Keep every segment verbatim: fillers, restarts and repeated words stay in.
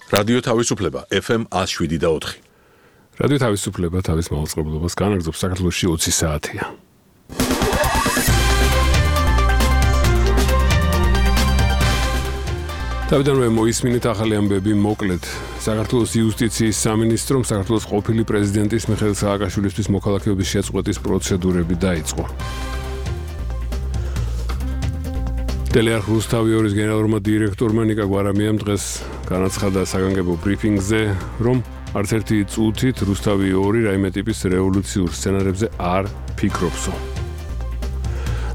რადიო თავისუფლება ეფ ემ one oh seven და four. რადიო თავისუფლება თავის მაუწყებლობას განაგრძობს საქართველოში ოცი საათია. თავიდანვე მოისმინეთ ახალი ამბები მოკლედ. საქართველოს იუსტიციის სამინისტრომ საქართველოს ყოფილი პრეზიდენტის მიხეილ სააკაშვილისთვის მოქალაქეობის შეწყვეტის პროცედურები დაიწყო. ტელეარხ რუსთავი ორის გენერალურმა დირექტორმა ნიკა გვარამიამ დღეს განაცხადა საგანგებო ბრიფინგზე, რომ არც ერთი წუთით რუსთავი ორი რაიმე ტიპის რევოლუციურ სცენარებზე არ ფიქრობსო.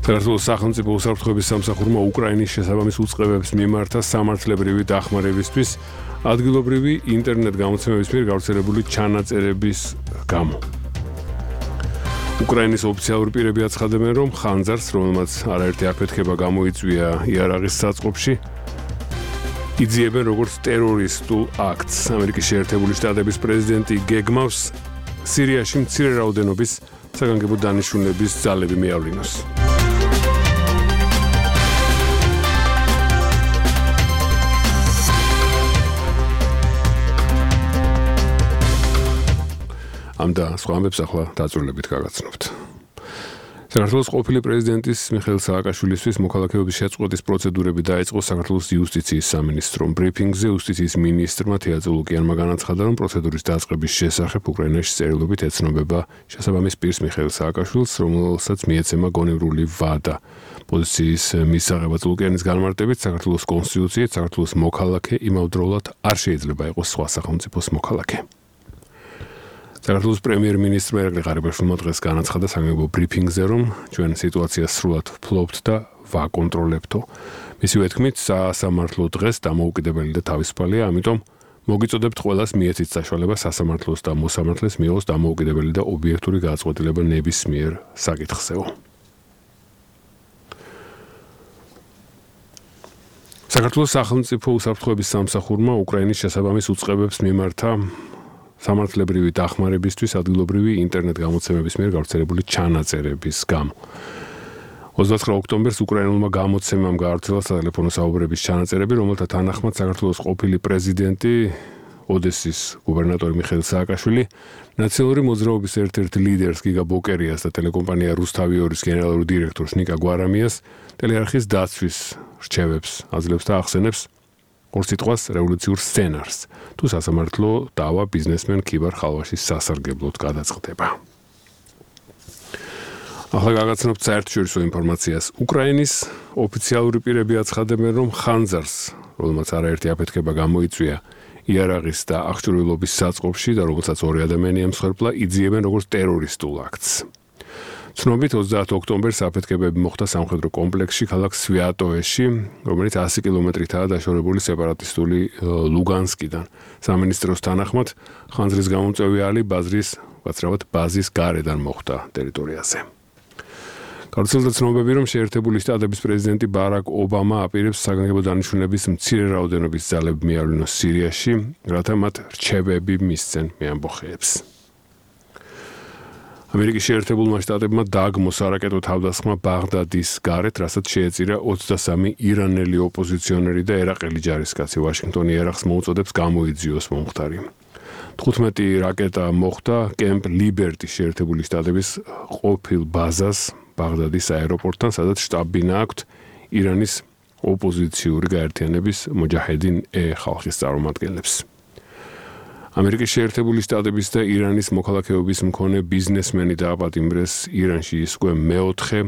საქართველოს სახელმწიფო უსაფრთხოების სამსახურმა უკრაინის შესაბამის უწყებებს მიმართა სამართლებრივი დახმარებისთვის ადგილობრივი ინტერნეტ გამოცემების მიერ გავრცელებული ჩანაწერების გამო. უკრაინის ოფიციალური პირები აცხადებენ, რომ ხანძარს, რომელმაც არაერთი აფეთქება გამოიწვია იარაღის საწყობში, იძიებენ როგორც ტერორისტულ აქტს. ამერიკის შეერთებული შტატების პრეზიდენტი გეგმავს სირიაში მცირე რაოდენობის საგანგებო დანიშნულების ძალები მიავლინოს. ამ და სხვა ამბებს ახლა დაწვრილებით გაგაცნობთ. საქართველოს ყოფილი პრეზიდენტის მიხეილ სააკაშვილისთვის მოქალაქეობის შეწყვეტის პროცედურები დაიწყო საქართველოს იუსტიციის სამინისტრომ. ბრიფინგზე იუსტიციის მინისტრმა თეადორ ლუკიანმა განაცხადა, რომ პროცედურის დაწყების შესახებ უკრაინაში წერილობით ეცნობება შესაბამის პირს მიხეილ სააკაშვილს, რომელსაც მიეცემა გონივრული ვადა. პოზიციის მისაღებად ლუკიანის განმარტებით საქართველოს კონსტიტუციით საქართველოს მოქალაქე იმავდროულად არ შეიძლება იყოს სხვა სახელმწიფოს მოქალაქე. საქართველოს პრემიერ-მინისტრმა ირაკლი ღარიბაშვილმა დღეს განაცხადა საგანგებო ბრიფინგზე, რომ ჩვენ სიტუაციას სრულად ვფლობთ და ვაკონტროლებთო. მისივე თქმით, სასამართლო დღეს დამოუკიდებელი და თავისუფალია, ამიტომ მოგიწოდებთ ყველას მიეცით საშუალება სასამართლოს და მოსამართლეს მიიღოს დამოუკიდებელი და ობიექტური გადაწყვეტილება ნებისმიერ საკითხზეო. საქართველოს სახელმწიფო უსაფრთხოების სამსახურმა უკრაინის შესაბამის უწყებებს მიმართა სამართლებრივი დახმარებისთვის ადგილობრივი ინტერნეტ გამოცემების მიერ გავრცელებული ჩანაწერების გამო. ოცდაათი ოქტომბერს უკრაინულმა გამოცემამ გაავრცელა სატელეფონო საუბრების ჩანაწერები, რომელთა თანახმად საქართველოს ყოფილი პრეზიდენტი ოდესის გუბერნატორი მიხეილ სააკაშვილი ნაციონალური მოძრაობის ერთ-ერთ ლიდერს გიგა ბოკერიას და ტელეკომპანია რუსთავი ორის გენერალურ დირექტორს ნიკა გვარამიას ტელეარხის დაცვის რჩევებს აძლევს და ახსენებს ორ სიტყვას რევოლუციურ სცენარს, თუ სასამართლო დავა ბიზნესმენ ქიბარ ხალვაშის სასარგებლოდ გადაწყდება. ახლა გაგაცნობთ საერთაშორისო ინფორმაციას. უკრაინის ოფიციალური პირები აცხადებენ, რომ ხანძარს, რომელმაც არაერთი აფეთქება გამოიწვია იარაღის და აღჭურვილობის საწყობში და რომელსაც ორი ადამიანი ემსხვერპლა, იძიებენ როგორც ტერორისტულ აქტს. ცნობით ოცდაათი ოქტომბერს აფეთქებები მოხდა სამხედრო კომპლექსში ქალაქ სვიატოვეში, რომელიც ასი კილომეტრითაა დაშორებული სეპარატისტული ლუგანსკიდან. სამინისტროს თანახმად ხანძრის გამომწვევი ალი ბაზრის, ვაცრავად ბაზის გარედან მოხდა ტერიტორიაზე. გავრცელდა ცნობები, რომ შეერთებული შტატების პრეზიდენტი ბარაკ ობამა აპირებს საგანგებო დანიშნულების მცირე რაოდენობის ძალები მიავლინოს სირიაში, რათა მათ რჩევები მისცენ მეამბოხეებს. ამერიკის შეერთებულმა შტატებმა დააგმო სარაკეტო თავდასხმა ბაღდადის გარეთ, რასაც შეეწირა ოცდასამი ირანელი ოპოზიციონერი და ერაყელი ჯარისკაცი. ვაშინგტონი ერახს მოუწოდებს გამოიძიოს მომხდარი. თხუთმეტი რაკეტა მოხვდა კემპ ლიბერტის შეერთებული შტატების ყოფილ ბაზას ბაღდადის აეროპორტთან, სადაც შტაბ-ბინა აქვთ ირანის ოპოზიციური გაერთიანების მოჯაჰედინ-ე ხალხის წარმომადგენლებს. ამერიკის შეერთებული შტატების და ირანის მოქალაქეობის მქონე ბიზნესმენი დააპატიმრეს ირანში, ის უკვე მეოთხე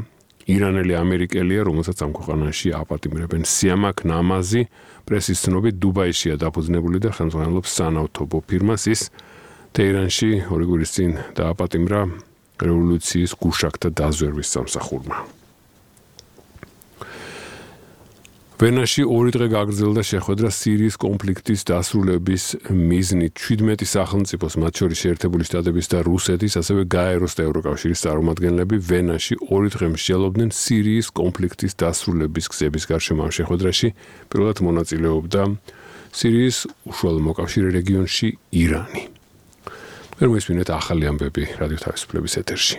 ირანელი ამერიკელია, რომელსაც ამ ქვეყანაში აპატიმრებენ. სიამაკ ნამაზი პრესის ცნობით დუბაიშია დაფუძნებული და ხელმძღვანელობს სანავთობო ფირმას. ის თეირანში ორი კვირის წინ დააპატიმრა რევოლუციის გუშაგთა დაზვერვის სამსახურმა. ვენაში ორი დღე გაგრძელდა შეხვედრა სირიის კონფლიქტის დასრულების მიზნით. შვიდმეტი სახელმწიფოს, მათ შორის შეერთებული შტატების და რუსეთის, ასევე გაეროს და ევროკავშირის წარმომადგენლები ვენაში ორი დღე მსჯელობდნენ სირიის კონფლიქტის დასრულების გზების გარშემო. ამ შეხვედრაში პირველად მონაწილეობდა სირიის უშუალო მოკავშირე რეგიონში ირანი. ვერ მოისმინეთ ახალი ამბები რადიო თავისუფლების ეთერში.